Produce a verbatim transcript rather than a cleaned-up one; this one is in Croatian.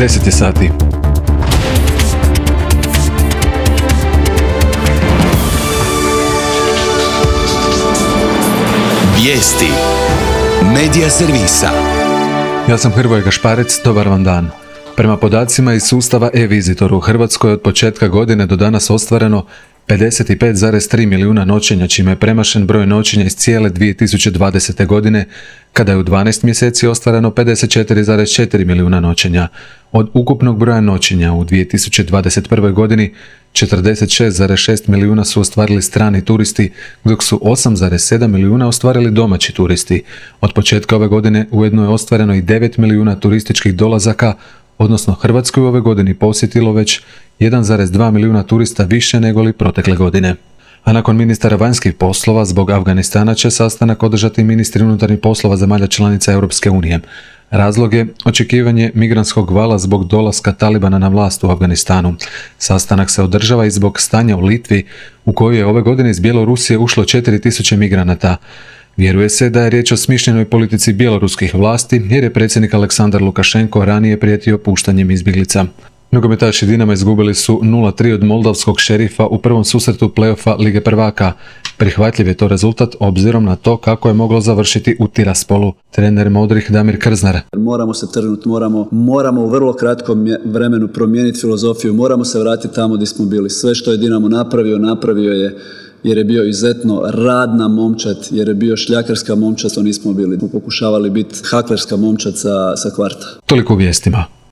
deset je sati. Vijesti Medija servisa. Ja sam Hrvoje Gašparec, dobar vam dan. Prema podacima iz sustava e-Visitor u Hrvatskoj je od početka godine do danas ostvareno pedeset pet zarez tri milijuna noćenja, čime je premašen broj noćenja iz cijele dvije tisuće dvadesete. godine, kada je u dvanaest mjeseci ostvareno pedeset četiri zarez četiri milijuna noćenja. Od ukupnog broja noćenja u dvije tisuće dvadeset prve. godini četrdeset šest zarez šest milijuna su ostvarili strani turisti, dok su osam zarez sedam milijuna ostvarili domaći turisti. Od početka ove godine ujedno je ostvareno i devet milijuna turističkih dolazaka, odnosno Hrvatsku je u ove godini posjetilo već jedan zarez dva milijuna turista više nego li protekle godine. A nakon ministara vanjskih poslova zbog Afganistana će sastanak održati ministri unutarnjih poslova zemalja članica Europske unije. Razlog je očekivanje migrantskog vala zbog dolaska Talibana na vlast u Afganistanu. Sastanak se održava i zbog stanja u Litvi, u kojoj je ove godine iz Bjelorusije ušlo četiri tisuće migranata. Vjeruje se da je riječ o smišljenoj politici bjeloruskih vlasti, jer je predsjednik Aleksandar Lukašenko ranije prijetio puštanjem izbjeglica. Nogometaši Dinama izgubili su nula tri od moldavskog Šerifa u prvom susretu play-offa Lige prvaka. Prihvatljiv je to rezultat obzirom na to kako je moglo završiti u Tiraspolu. Trener Modrih Damir Krznar. Moramo se trgnuti, moramo, moramo u vrlo kratkom vremenu promijeniti filozofiju, moramo se vratiti tamo gdje smo bili. Sve što je Dinamo napravio, napravio je jer je bio izuzetno radna momčad, jer je bio šljakarska momčad, to nismo bili. Pokušavali biti haklerska momčad sa, sa kvarta. Toliko u vijestima.